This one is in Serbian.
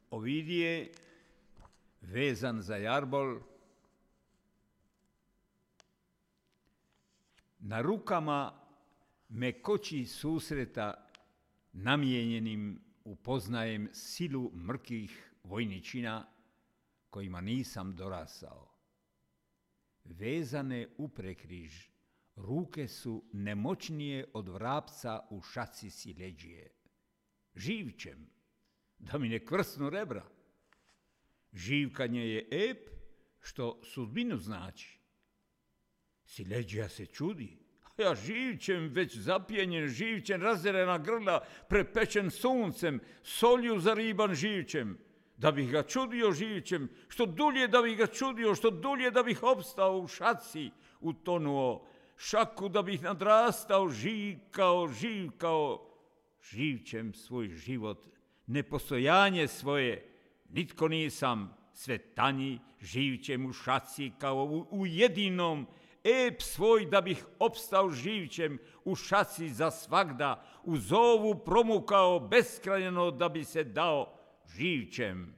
Ovidije, vezan za jarbol, na rukama me koči susreta namijenjenim upoznajem silu mrkih vojničina kojima nisam dorasao. Vezane uprekriž, ruke su nemoćnije od vrapca u šaci sileđije. Živčem, da mi ne kvrsnu rebra. Živkanje je ep, što sudbinu znači. Sileđija se čudi, a ja živčem, već zapijenjen živčem, razderena grla, prepečen suncem, solju zariban živčem, da bih ga čudio živčem, što dulje da bih ga čudio, što dulje da bih opstao u šaci, utonuo, šaku da bih nadrastao, živkao, živčem svoj život, nepostojanje svoje, nitko nisam, sve tanji, živčem u šaci kao u jedinom, ep svoj da bih opstao živčem u šaci za svagda, u zovu promukao beskrajno da bi se dao živčem.